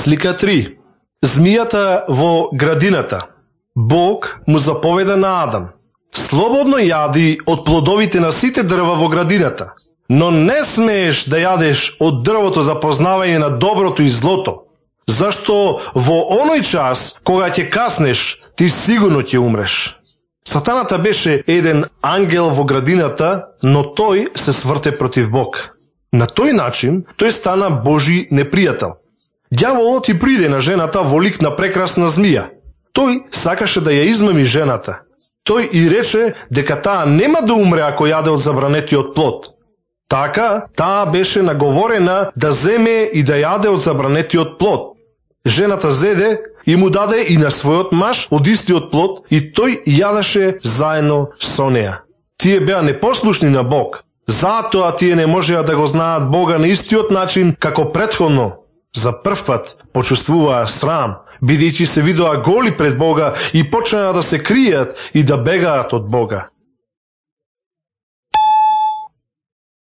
Слика 3. Змијата во градината. Бог му заповеда на Адам: слободно јади од плодовите на сите дрва во градината, но не смееш да јадеш од дрвото за познавање на доброто и злото, зашто во оној час кога ќе каснеш, ти сигурно ќе умреш. Сатаната беше еден ангел во градината, но тој се сврте против Бог. На тој начин тој стана Божи непријател. Ѓаволот и приде на жената во лик на прекрасна змија. Тој сакаше да ја измами жената. Тој и рече дека таа нема да умре ако јаде од забранетиот плод. Така, таа беше наговорена да земе и да јаде од забранетиот плод. Жената зеде и му даде и на својот маж од истиот плод и тој јадеше заедно со неа. Тие беа непослушни на Бог. Затоа тие не можеа да го знаат Бога на истиот начин како претходно. За прв пат почувствуваа срам, бидејќи се видоа голи пред Бога и почнаа да се кријат и да бегаат од Бога.